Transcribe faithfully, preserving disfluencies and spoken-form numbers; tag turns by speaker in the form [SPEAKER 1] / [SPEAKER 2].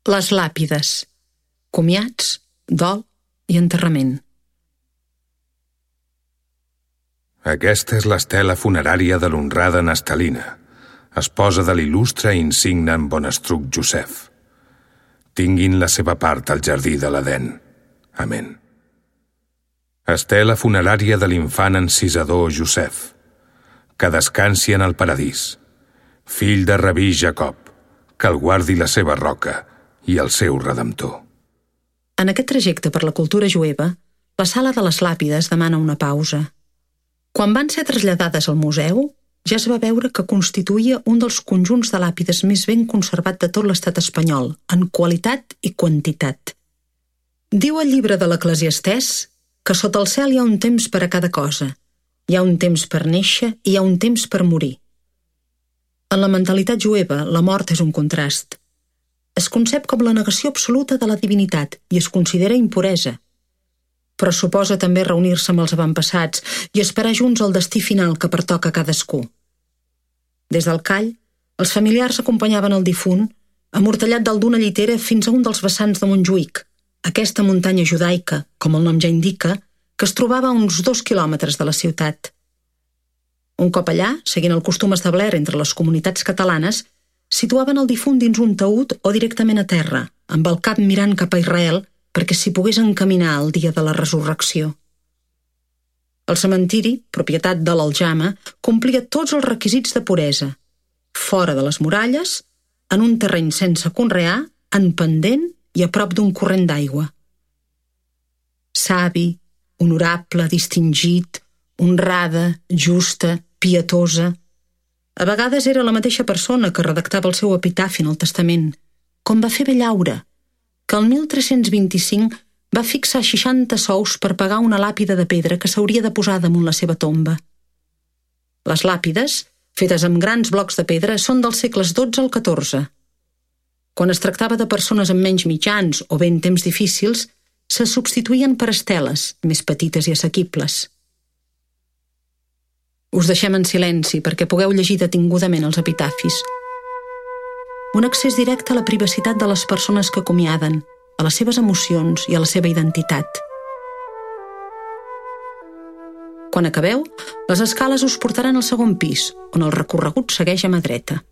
[SPEAKER 1] Les làpides. Comiats, dol i enterrament.
[SPEAKER 2] Aquesta és l'estela funerària de l'honrada Nestalina, esposa de l'il·lustre i insigne en Bonestruc Josep. Tinguin la seva part al jardí de l'Edèn. Amén. Estela funerària de l'infant encisador Josep, que descansi en el paradís, fill de rabí Jacob, que el guardi la seva roca i el seu redemptor.
[SPEAKER 1] En aquest trajecte per la cultura jueva, la sala de les làpides demana una pausa. Quan van ser traslladades al museu, ja es va veure que constituïa un dels conjunts de làpides més ben conservat de tot l'estat espanyol, en qualitat i quantitat. Diu el llibre de l'Eclesiastès que sota el cel hi ha un temps per a cada cosa. Hi ha un temps per néixer i hi ha un temps per morir. En la mentalitat jueva, la mort és un contrast. Es concep com la negació absoluta de la divinitat i es considera impuresa. Però suposa també reunir-se amb els avantpassats i esperar junts el destí final que pertoca a cadascú. Des del call, els familiars acompanyaven el difunt, amortallat dalt d'una llitera fins a un dels vessants de Montjuïc, aquesta muntanya judaica, com el nom ja indica, que es trobava a uns dos quilòmetres de la ciutat. Un cop allà, seguint el costum establert entre les comunitats catalanes, situaven el difunt dins un taüt o directament a terra, amb el cap mirant cap a Israel perquè s'hi pogués encaminar el dia de la resurrecció. El cementiri, propietat de l'Aljama, complia tots els requisits de puresa. Fora de les muralles, en un terreny sense conrear, en pendent i a prop d'un corrent d'aigua. Savi, honorable, distingit, honrada, justa, pietosa. A vegades era la mateixa persona que redactava el seu epitafi en el testament, com va fer Bellaure, que el mil tres-cents vint-i-cinc va fixar seixanta sous per pagar una làpida de pedra que s'hauria de posar damunt la seva tomba. Les làpides, fetes amb grans blocs de pedra, són dels segles dotze al catorze. Quan es tractava de persones amb menys mitjans o bé en temps difícils, se substituïen per esteles, més petites i assequibles. Us deixem en silenci perquè pugueu llegir detingudament els epitafis. Un accés directe a la privacitat de les persones que acomiaden, a les seves emocions i a la seva identitat. Quan acabeu, les escales us portaran al segon pis, on el recorregut segueix a mà dreta.